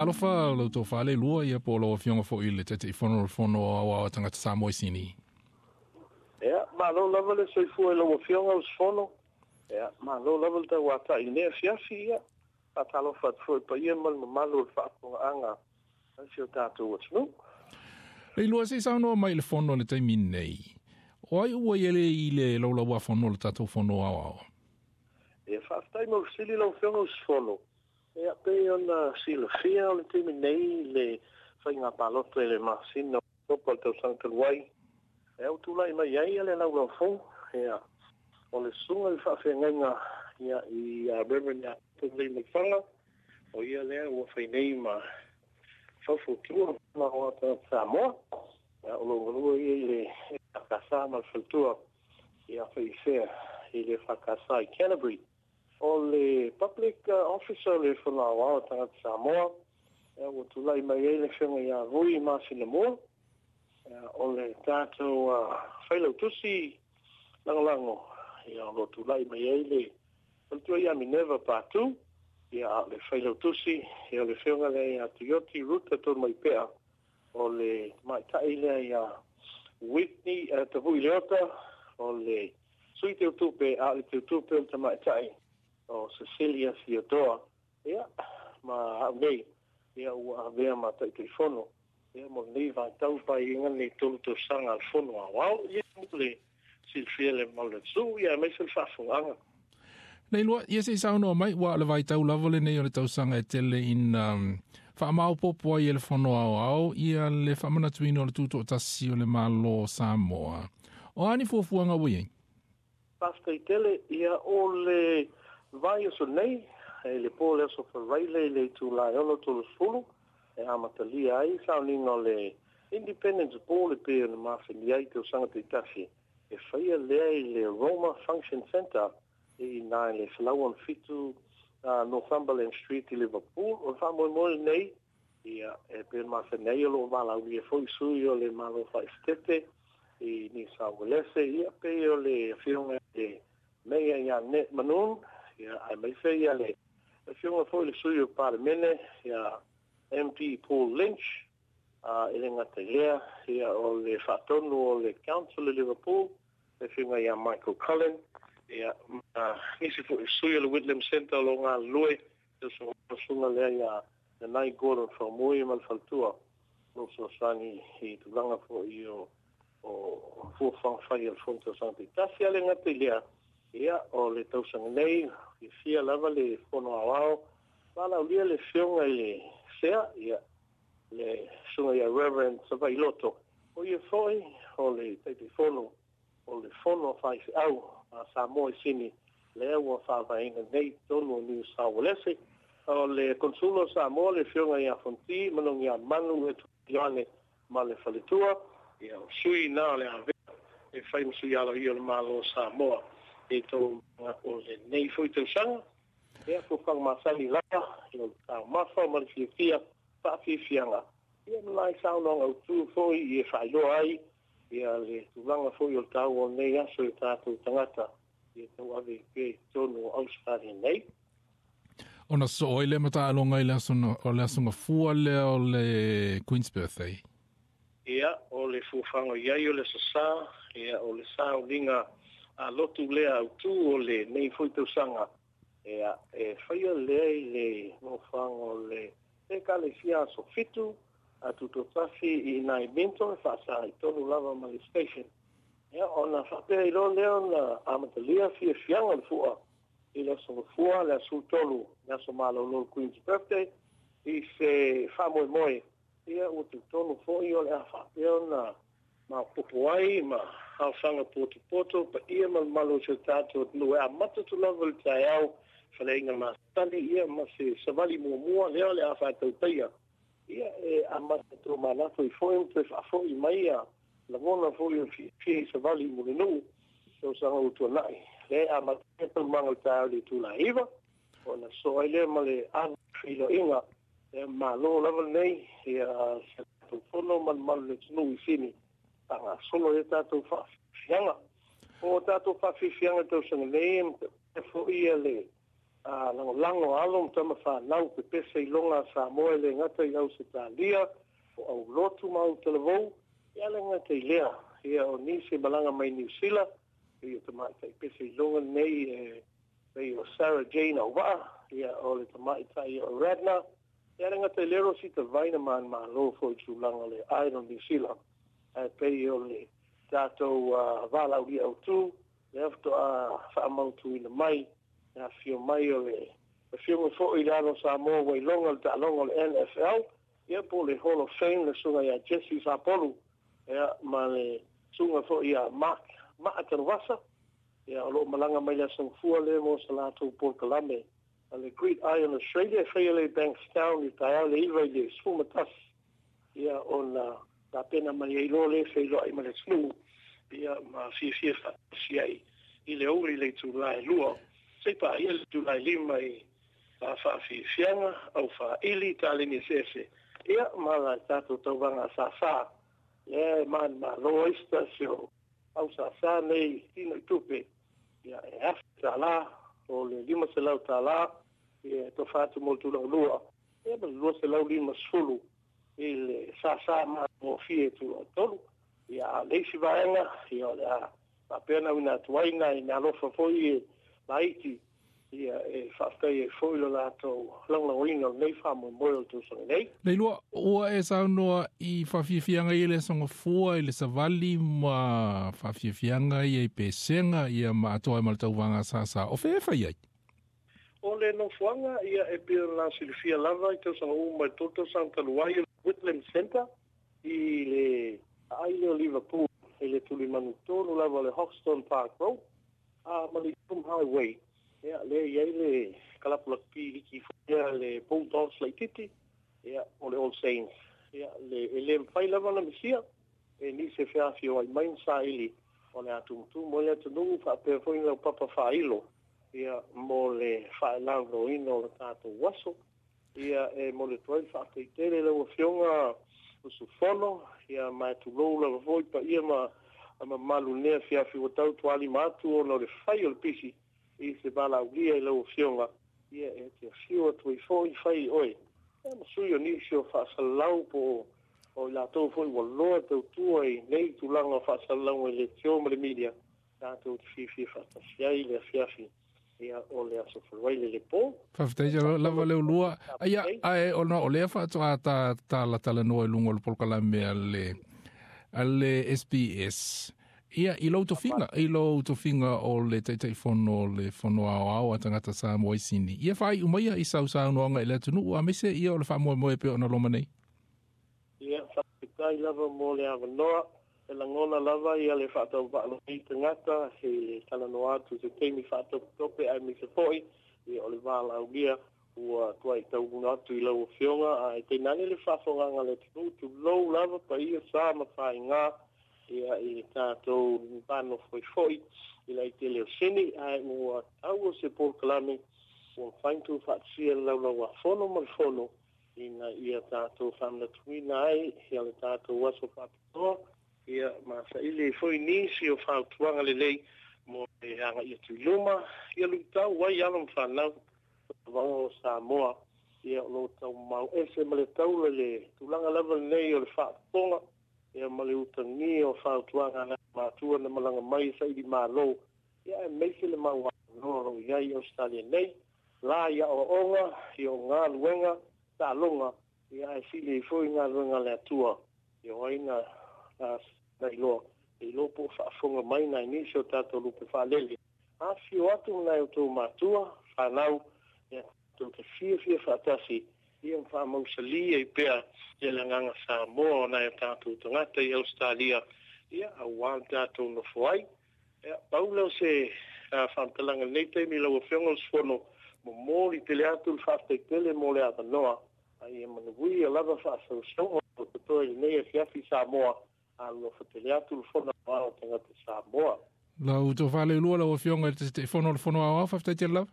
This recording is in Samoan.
Alofa lau tofa Leilua, ia po o lau Afioga foi i le Taitaifono o le Fono Aoao a Tagata Samoa i Sini. Ia, malo lava le soifua i lau Afioga usufono. Ia, malo lava le tauatai i lenei afiafi. Ia, faatalofa atu foi i le paia ma le mamalu o le faafofogaaga a si o tatou atunuu. Leilua, se i saunoa mai i le Fono i le taimi nei. O ai ua i ai i le laulauafono o le tatou Fono Aoao? Ia, faafetai mo le fesili lau Afioga usufono. Ia, pei ona silafia o le taimi nei le faiga palota i le masina o Oketopa o le tausaga talu ai, ia ua tulai mai ai le laulau fou, ia, o le susuga i le faafeagaiga ia i Reverend ia Taulelei-Maifaga, o ia lea ua fai nei ma faufautua ma o tagata Samoa, ia, o lo o galue ia i le EFKS ma le faletua ia Faiifea i le EFKS i Canterbury. O le Public Officer o le Fono Aoao a Tagata Samoa, ia, ua tulai mai ai le Afioga ia Vui Masinamua, ia, o le tatou Failautusi Lagolago, ia, o lo o tulai mai ai le Faletua ia Minerva Patu, ia, a o le Failautusi, ia, o le Afioga lea ia Tuioti Ruta Tonumaipea, o le tamaitai lea ia Whitney Tavui Leota, o le Sui Teutupe, a o le Teutupe o le tamaitai o Cecilia Theodore, ia, ma au nei, ia, ua avea ma Taitaifono, ia, mo lenei vaitau paeaiga lenei 3 tausaga a le Fono Aoao, ia, mo le silafia le mamalu o le atunuu, ia, aemaise le faafofogaaga. Leilua, ia se i saunoa mai, ua o le vaitau lava lenei o le tausaga e tele ina faamaopoopo ai e le Fono Aoao ia le faamanatuina o le tutoatasi o le Malo o Samoa. O a ni fuafuaga ua i ai? Faafetai tele, ia, o le vaiaso nei, e le po o le aso Faraile i le itula e 6:30, e amatalia ai sauniga o le Independence Ball e pei ona masani ai i tausaga taitasi, e faia lea i le Roma Function Centre i ina i le 107 Northumberland Street i Liverpool. O le faamoemoe lenei, ia, e pei ona masani ai o lo o valaaulia foi sui o le Malo Faaesetete i Niu Sao Uelese, ia, pei o le Afioga i le Meia ia Ned Mannoun, ia, aemaise ia le Afioga foi i le sui o Palemene ia MP Paul Lynch, e le gata i lea, ia, o le faatonu o le Council i Liverpool, le Afioga ia Michael Cullen, ia, ma nisi foi sui o le Whitlam Centre o lo o galulue, le susuga lea ia Nanai Gordon Faumui ma le faletua, o lo o fesoasoani i tulaga foi o fuafuaga fai a le Fono Tausaga Taitasi. A le gata i lea, ia, o le tausaga nei, fiafia lava le Fono Aoao, valaaulia le Afioga i le Sea, ia, le susuga ia Reverend Savailoto, o ia foi o le Taitaifono o le Fono a Faifeau a Samoa i Sini, lea ua faavaeina nei i totonu o Niu Sao Uelese. O le Konsula o Samoa, le Afioga ia Fonti Manogiamanu Ioane ma le faletua, ia, o sui na o le avea e fai ma sui aloaia o le Malo o Samoa i taualumaga o lenei foi tausaga. Ia, fuafuaga masani lava, ia, o le taumafa ma le fiafia faafiafiaga, ia, ma nai saunoaga autu foi e faailoa ai ia le tulaga foi o le taua o lenei aso i tatou tagata ia tauave i pea i totonu o Ausetalia nei. Ona sosoo ai lea ma taaloga i le aso, o le aso Gafua lea o le Queen's Birthday. Ia, o le fuafuaga i ai o le aso Sa, ia, o le sauniga a lotu lea autu o lenei foi tausaga, ia, e faia lea i le nofoaga o le Ekalesia Aso 7 a Tutoatasi i nai Minto, e faasa i tonu lava ma le station. Ia, ona faapea ai loa lea ona amatalia fiafiaga o le fua i le aso Gafua, le aso 13, le aso malolo o le Queen's Birthday, i se faamoemoe, ia, ua talitonu foi o le a faapea ona maopoopo ai ma aofaga potopoto paia ma le mamalu o si o tatou atunuu e amata atu lava i le taeao faleaiga masani, ia, ma se savali muamua lea o le a faatautaia, ia, e amata tomanatu ai foi ma toe faafoi mai ia lagona foi o le fiafia i savali mo le nuu tausaga ua tuanai. Lea e amata ai taualumaga o le taeao i le itula e 9, ona sosoo ai lea ma le ava feiloaiga. Ia, malo lava lenei, ia, se tatou fono ma le mamalu o le atunuu i Sini faagasolo ai tatou faafiafiaga. O tatou faafiafiaga tausaga nei, e foi ia le Lagolago a alo ma tama fanau pepese iloga a Samoa e le gata i Ausetalia o aulotu ma autalavou, ia le gata i lea, ia o nisi malaga mai Niusila, ia tamaitai pese iloga nei e pei o Sarah Jane Auvaa, ia o le tamaitai o Radna, ia le gata i lea o sita vaina manumalo foi i tulaga o le Idol New Zealand, ae pei o le tatou valaaulia autu lea faatoa faamautuina mai le afifio mai o le afioga foi i le alo o Samoa ua iloga le taaloga o le NFL, ia po o le Hall of Fame, le susuga ia Jesse Sapolu, ia ma le susuga foi ia Mark Maa Tanuvasa, ia o loo malaga mai le Aso Gafua lea mo sa latou polokalame a le Great Iron Australia e faia lea i Bankstown i le taeao le 9 i le 11, ia ona tapena mai ai loa lea feiloai ma le atunuu, ia ma fiafia faatasi ai i le aoauli i le itula e 2 se i paia le itula e 5 i faafiafiaga au faili taleni eseese, ia ma la tatou tauvaga a sāsā lea e manumalo ai se tasi o au sāsā nei tino i tupe, ia e $1,000 o le $500 ia e tofa atu mo le tulaga lua, ia ma le 250 i le sāsā magofie i tulaga tolu. Ia a o le isi vaega, ia o le a faapea na uina atu ai nai meaalofa foi e laiti, ia e faafetai ai foi lo latou lagolagoina o lenei faamoemoe o le tausaga nei. Leilua, ua e saunoa i faafiafiaga ia i le Aso Gafua i le savali ma faafiafiaga ia i pesega ia ma atoa ai ma le tauvaga sāsā. O fea e fai ai? O le nofoaga ia e pei ona silafia lava i tausaga uma i le 3 tausaga talu ai o le Whitlam Centre i le aai lea o Liverpool i le tulimanu tonu lava o le Hoxton Park Road a ma le Hume Highway, ia lea e i ai le kalapu lakapi liki foi lea le Bulldogs laitiiti, ia o le All Saints, ia le e le mafai lava ona misia e nisi e feafioai mai ma saili o le a tumutumu ai le atunuu faapea foi lau papa faailo, ia mo le faalaulauina o le tatou aso. Ia e momoli atu ai le faafetai tele i lau Afioga usufono, ia ma e tulou lava foi paia ma mamalu i lenei afiafi ua tau tualima atu ona o le fai o le pisi i se valaaulia i lau Afioga, ia e te afio atu ai foi fai oe ia ma sui o nisi o faasalalau po o i latou foi ua loa tautua i nei tulaga o faasalalauga i leitio ma le media, tatou te fiafia faatasi ai i le afiafi, ia o le Aso Faraile le po. Faafetai lava Leolua. Ia, ae ona o lea faatoa ta talatalanoa i luga o le polokalame a le SBS. Ia, i lou tofiga, i lou tofiga o le Taitaifono o le Fono Aoao a Tagata Samoa i Sini. Ia faaiu maia i sau saunoaga i le atunuu aemaise ia o le faamoemoe pei ona loma nei. Ia, faafetai lava mo le avanoa. E lagona lava ia le faatauvaa i tagata i le talanoa atu i se taimi faatopetope aemaise foi ia o le valaaulia ua tuai taunuu atu i lau Afioga, ae tainane le faafofogaaga a le atunuu, tulou lava paia sa ma faiga ia i le tatou vanofoifoi i le aitele o Sini, ae ua tau o se polokalame ua mafai ona tuufaatasia le laulau-a-fono ma le fono ina ia tatou faamanatuina ai ia le tatou aso faapitoa, ia ma saili ai foi nisi o fautuaga lelei mo le agaia atu i luma, ia luitau ai alo ma fanau vaoga o Samoa, ia o lo o taumau ese ma le taula i le tulaga lava lenei o le faafofoga, ia ma le utagia o fautuaga a nai matua na malaga mai e saili malo, ia aemaise le mau avanoa o lo o i ai i Ausetalia nei, la i aoaoga, ia o galuega, taaloga, ia ae sili ai foi galuega a le Atua, ia o ai na iloa, e iloa po o faafofoga mai nai nisi o tatou lupe faalele. Afifio atu ma nai outou matua, fanau, ia tatou te fiafia faatasi, ia ma faamausali ai pea ia le agaga Samoa o nai o tatou tagata i Ausetalia, ia aua le tatou nofo ai. Ia, pau lea o se faamatalaga i lenei taimi i lau Afioga o le Usufono, momoli tele atu le faafetai tele mo le avanoa, a ia manuia lava faasausauga o totoe i lenei afiafi Samoa, alofa tele atu le Fono Aoao o Tagata Samoa. Lau tofa Leilua, lau Afioga i le Taitaifono o le Fono Aoao, faafetai tele lava.